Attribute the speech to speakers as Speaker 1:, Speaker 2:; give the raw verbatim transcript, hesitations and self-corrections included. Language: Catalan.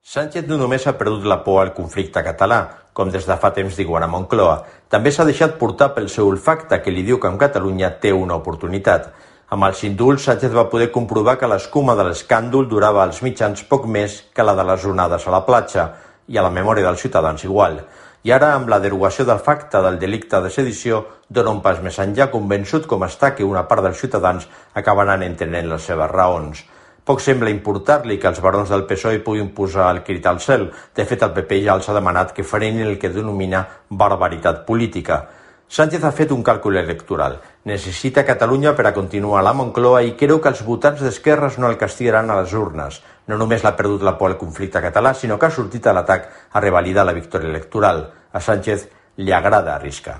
Speaker 1: Sánchez no només ha perdut la por al conflicte català, com des de fa temps diuen a Moncloa, també s'ha deixat portar pel seu olfacte que li diu que amb Catalunya té una oportunitat. Amb els indults, Sánchez va poder comprovar que l'escuma de l'escàndol durava als mitjans poc més que la de les onades a la platja, i a la memòria dels ciutadans igual. I ara, amb la derogació del facte del delicte de sedició, dona un pas més enllà, convençut com està que una part dels ciutadans acabaran entenent les seves raons. Poc sembla importar-li que els barons del P S O E puguin posar el crit al cel. De fet, el P P ja els ha demanat que frenin el que denomina barbaritat política. Sánchez ha fet un càlcul electoral. Necessita Catalunya per a continuar a la Moncloa i creu que els votants d'esquerres no el castigaran a les urnes. No només l'ha perdut la por al conflicte català, sinó que ha sortit a l'atac a revalidar la victòria electoral. A Sánchez li agrada arriscar.